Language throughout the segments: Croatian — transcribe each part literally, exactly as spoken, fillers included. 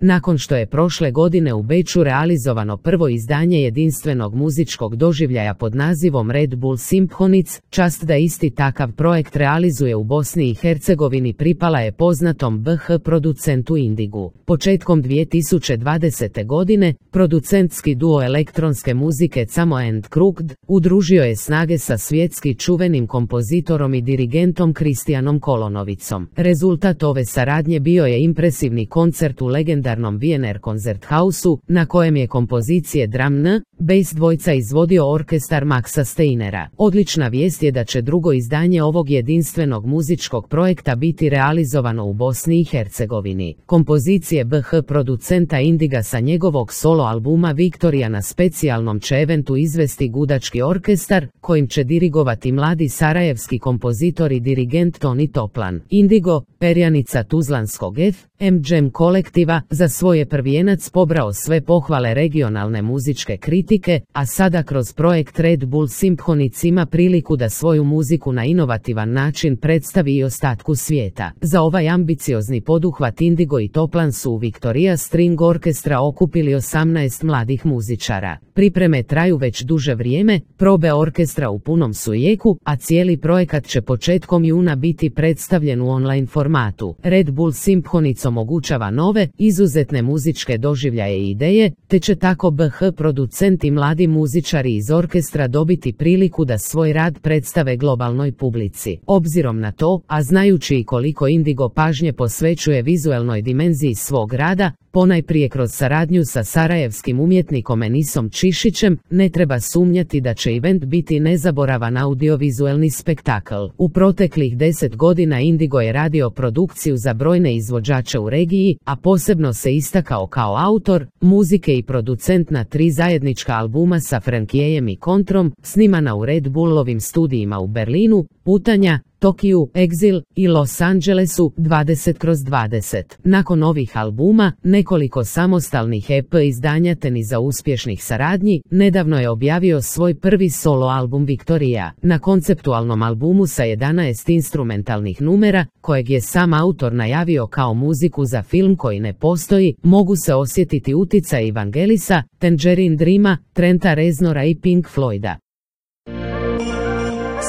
Nakon što je prošle godine u Beču realizovano prvo izdanje jedinstvenog muzičkog doživljaja pod nazivom Red Bull Symphonies, čast da isti takav projekt realizuje u Bosni i Hercegovini pripala je poznatom B H producentu Indigu. Početkom dvije tisuće dvadesete. godine, producentski duo elektronske muzike Camo and Crooked udružio je snage sa svjetski čuvenim kompozitorom i dirigentom Kristijanom Kolonovicom. Rezultat ove saradnje bio je impresivni koncert u legendarnom Wiener Konzerthauseu, na kojem je kompozicije Drum N, bass dvojca izvodio orkestar Maxa Steinera. Odlična vijest je da će drugo izdanje ovog jedinstvenog muzičkog projekta biti realizovano u Bosni i Hercegovini. Kompozicije B H producenta Indiga sa njegovog solo albuma Viktorija na specijalnom će eventu izvesti gudački orkestar, kojim će dirigovati mladi sarajevski kompozitor i dirigent Toni Toplan. Indigo, perjanica tuzlanskog F M Jam kolektiva, za svoj je prvijenac pobrao sve pohvale regionalne muzičke kritike, a sada kroz projekt Red Bull Symphonies ima priliku da svoju muziku na inovativan način predstavi i ostatku svijeta. Za ovaj ambiciozni poduhvat Indigo i Toplan su u Victoria String Orkestra okupili osamnaest mladih muzičara. Pripreme traju već duže vrijeme, probe orkestra u punom su jeku, a cijeli projekat će početkom juna biti predstavljen u online formatu. Red Bull Symphonies omogućava nove, izuzetne muzičke doživljaje i ideje, te će tako B H producent i mladi muzičari iz orkestra dobiti priliku da svoj rad predstave globalnoj publici. Obzirom na to, a znajući i koliko Indigo pažnje posvećuje vizualnoj dimenziji svog rada, ponajprije kroz saradnju sa sarajevskim umjetnikom Enisom Čišićem, ne treba sumnjati da će event biti nezaboravan audiovizualni spektakl. U proteklih deset godina Indigo je radio produkciju za brojne izvođače u regiji, a posebno se istakao kao autor muzike i producent na tri zajednička albuma sa Frankijem i Kontrom, snimana u Red Bullovim studijima u Berlinu, Putanja, Tokiju, Exil i Los Angelesu dvadeset kroz dvadeset. Nakon ovih albuma, nekoliko samostalnih E P izdanja te niza uspješnih saradnji, nedavno je objavio svoj prvi solo album Viktorija. Na konceptualnom albumu sa jedanaest instrumentalnih numera, kojeg je sam autor najavio kao muziku za film koji ne postoji, mogu se osjetiti uticaj Evangelisa, Tangerine Dreama, Trenta Reznora i Pink Floyda.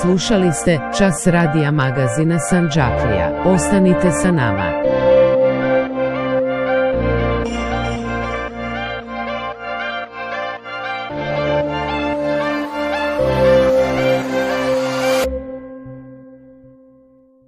Slušali ste Čas radija magazina Sandžaklija. Ostanite sa nama.